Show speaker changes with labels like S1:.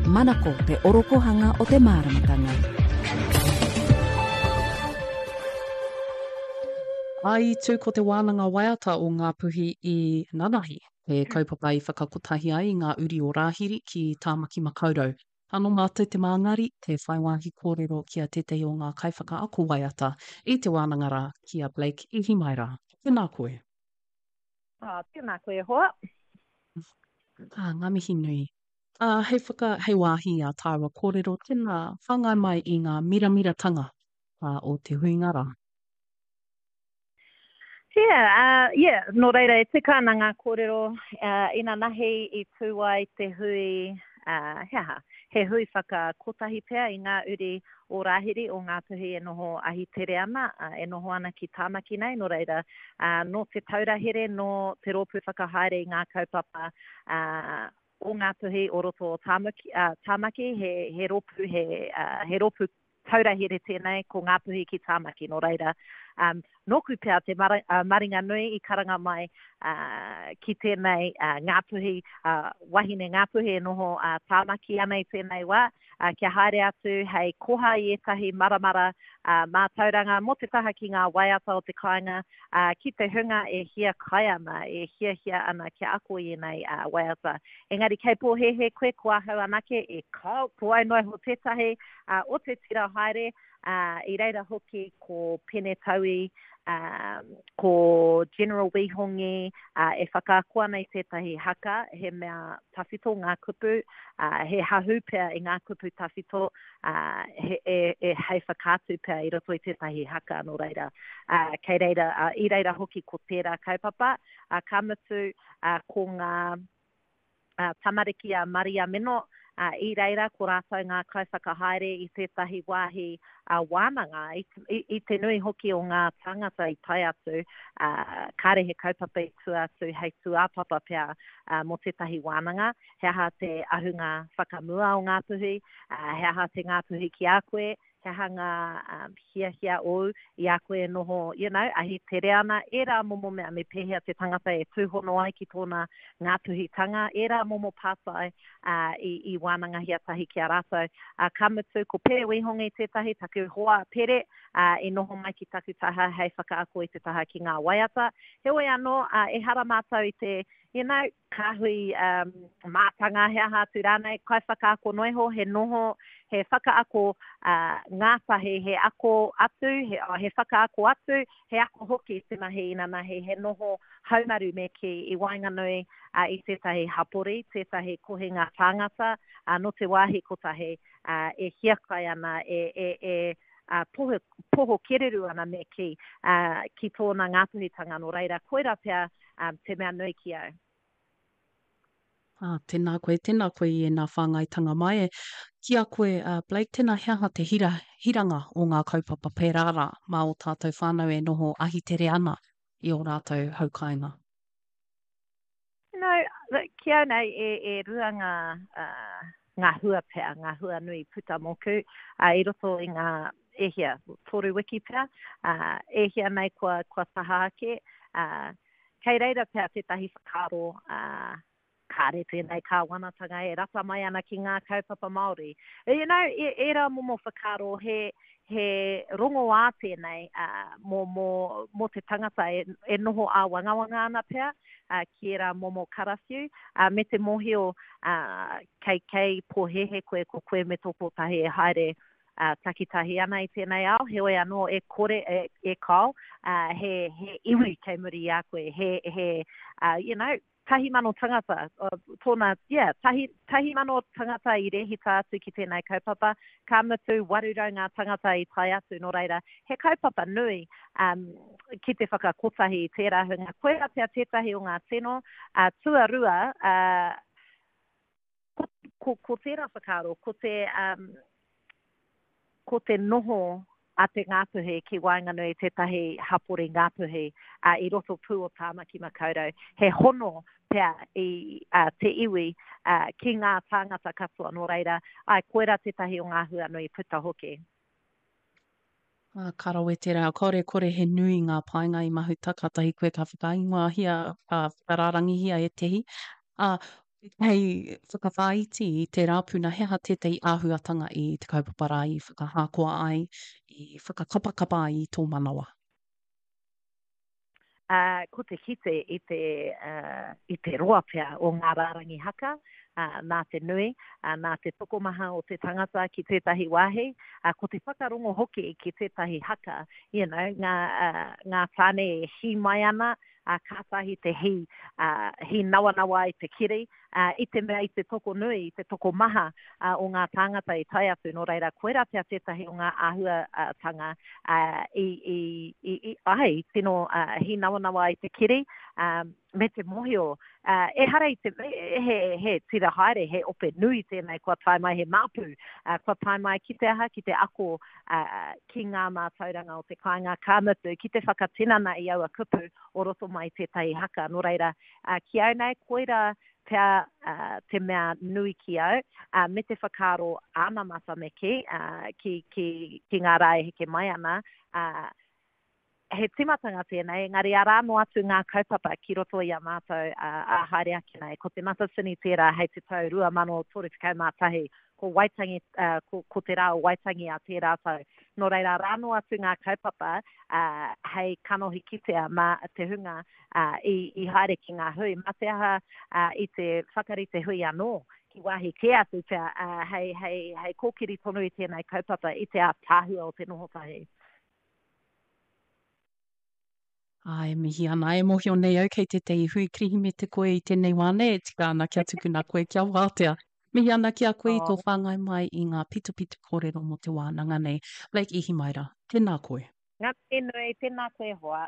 S1: Manako te orokohanga o te māramatanga.
S2: I tū ko te wānanga waiata o Ngāpuhi i nanahi, he kaupapa i whakakotahi ai i ngā uri o Rāhiri ki Tāmaki Makaurau. Anō mātou te māngari, te whai wāhi kōrero ki a tētahi o ngā kaiwhakaako waiata i te wānanga rā, ki a Blake Ihimaera. Tēnā koe.
S3: Ah, tēnā koe e hoa.
S2: Ah, ngā mihi nui. Ah, hei whaka, hei wāhi i ā tāua kōrero, tēnā, whāngai mai i ngā miramiratanga ah, o te huinga rā.
S3: Yeah, uh, yeah, nō reira e tika ana ngā kōrero uh, inanahi i tū ai te hui, uh, he aha, he hui whakakotahi pea i ngā uri o Rāhiri, o Ngāpuhi e noho ahitere ana, uh, e noho ana ki Tāmaki nei, nō reira, uh, nō te taura here, nō te rōpū whakahaere i ngā kaupapa uh, o Ngāpuhi o roto o Tāmaki, uh, Tāmaki he, he rōpū, he, uh, he rōpū taura here tēnei, ko Ngāpuhi ki Tāmaki, nō reira, um, nōku pea te mara, uh, maringa nui i karanga mai uh, ki tēnei uh, Ngāpuhi, uh, wahine Ngāpuhi e noho uh, Tāmaki ana i tēnei wā, uh, kia haere atu hei koha i ētahi maramara uh, mātauranga mō te taha ki ngā waiata o te kāinga, uh, ki te hunga e hiakai ana, e hiahia ana kia ako i ēnei uh, waiata. Engari kei pōhēhē koe, ko ahau anake e kao, ko au noa iho tētahi, ā, o te tira haere, ā, i reira hoki ko Pene Taui, ā, ko General Wī Hongi, ā, e whakaako ana i tētahi haka, he mea tawhito ngā kupu, ā, he hahū pea i ngā kupu tawhito, ā, he, e, e, hei whakaatu pea i roto i tētahi haka, nō reira, ā, kei reira, ā, i reira hoki ko tērā kaupapa, ā, ka mutu, ā, ko ngā, tamariki a Maria Meno, ā, i reira ko rātou ngā kaiwhakahaere i tētahi wāhi wānanga, i, i, i te nui hoki o ngā tāngata i tae atu, ā, kāre he kaupapa i tua atu hei tūāpapa pea mō tētahi wānanga, he aha te ahunga whakamua o Ngāpuhi, ā, he aha te Ngāpuhi ki a koe, he aha ngā hiahia ōu i a koe e noho, you know, ahi tere ana, ērā momo mea, me pēhea te tangata e tūhono ai ki tōna Ngāpuhitanga, ērā momo pātai i, i wānangahia tahi ki a rātou. Ka mutu, ko Pere Wīhongi tētahi, taku hoa Pere, i noho mai ki taku taha hei whakaako i te taha ki ngā waiata. Heoi anō, ehara mātou i te, you know, kāhui mātanga, he aha atu rānei, kaiwhakaako noa iho, he noho, he whakaako ngātahi, he ako atu, he, oh, he whakaako atu, he ako hoki te mahi inanahi, he noho haumaru me kī i waenganui i tētahi hapori, tētahi kohinga tāngata, nō te wāhi kotahi e hiakai ana, e, e, e poho, poho kereru ana me kī, ki tōna Ngāpuhitanga, nō reira, koira pea te mea nui ki au.
S2: Ah, tēnā koe, tēnā koe i ēnā whāngaitanga mai. E, ki a koe, uh, Blake, tēnā he aha te hira, hiranga o ngā kaupapa pērā rā mā ō tātou whānau e noho ahitere ana i ō rātou haukāinga?
S3: You know, ki au nei, e, e rua ngā, uh, ngā hua pea, ngā hua nui puta mōku, uh, i roto i ngā, e hia, toru wiki pea, uh, e hia nei kua, kua taha ake, uh, Kei reira pea tētahi whakaaro, ā, kāre tēnei kāwanatanga e rata mai ana ki ngā kaupapa Māori. You know, e, ērā momo whakaaro, he, he rongoā tēnei, ā, mō, mō, mō te tangata e, e noho āwangawanga ana pea, ā, ki ērā momo karawhiu, ā, me te mōhio, ā, kei, kei pōhēhē koe ko koe me tō kōtahi e haere ā, takitahi ana i tēnei ao, heoi anō e kore, e, e kao, ā, he, he iwi kei muri i a koe, he, he, ā, you know, 1,000 tangata, tōna, yeah, tahi, 1,000 tangata i rēhita atu ki tēnei kaupapa, ka mutu 800 ngā tangata i tae atu, nō reira, he kaupapa nui um, ki te whakakotahi i tērā hunga. Koirā pea tētahi o ngā tino, uh, tuarua, uh, Ko, ko, ko tērā whakaaro, ko te, um, ko te noho a te Ngāpuhi ki waenganui i tētahi hapori Ngāpuhi uh, i roto pū o Tāmaki Makaurau. He hono pea i uh, te iwi uh, ki ngā tāngata katoa, nō reira, ai, koirā tētahi o ngā hua nui puta hoki.
S2: Ā, ka rawe tērā. Kāore e kore he nui ngā painga i Mahuta, kātahi koe ka whakaingoahia, ka whakarārangihia ētehi. Ā, Hei whakawhāiti i tērā puna, he aha tētahi āhuatanga i te kaupapa rā i whakahākoa ai, i whakakapakapa ai i tō manawa?
S3: Ā, ko te kite i te, ā, i te roa pea o ngā rārangi haka, ā, nā te nui, ā, nā te tokomaha o te tangata ki tētahi wāhi, ā, ko te whakarongo hoki ki tētahi haka, you know, ngā, ā, ngā tāne e hī mai ana, ā, kātahi te hī, ā, hī nawanawa ai te kiri, ā, i te mea i te tokonui, i te tokomaha, ā, o ngā tāngata i tae atu, nō reira, koirā pea tētahi o ngā āhuatanga, ā, i, i, i, i, āe, i tino, ā, hīnawanawa ai te kiri, ā, me te mōhio, ā, ehara i te, he, he tira haere, he ope nui tēnei kua tae mai, he māpu, ā, kua tae mai ki te aha, ki te ako, ā, ki ngā mātauranga o te kāinga, ka mutu, ki te whakatinana i aua kupu o roto mai i tētahi haka, nō reira, Ā, ki au nei, koirā pea te mea nui ki au, ā, me te whakaaro anamata me kī, ā, ki, ki, ki ngā rā e heke mai ana, ā, he tīmatanga tēnei, engari arā noa atu ngā kaupapa ki roto i a mātou, ā, ā haere ake nei. Ko Te Matatini tērā hei te tau 2031, ko Waitangi, ā, ko, ko te rā o Waitangi a tērā tau. Nō reira, arā noa atu ngā kaupapa, ā, hei kanohi kitea mā te hunga, ā, i, i haere ki ngā hui, mā te aha, ā, i te whakarite hui anō, ki wāhi kē atu pea, ā, hei, hei, hei kōkiri tonu i tēnei kaupapa i te ātaahua o te noho tahi.
S2: Ā, e mihi ana, e mōhio nei au kei tētahi hui Kirihimete koe i tēnei wā nei, e tika ana kia tukuna koe kia wātea. Mihi ana ki a koe i tō whāngai mai i ngā pitopito kōrero mō te wānanga nei. Blake Ihimaera, tēnā koe.
S3: Ngā mihi nui, tēnā koe hoa.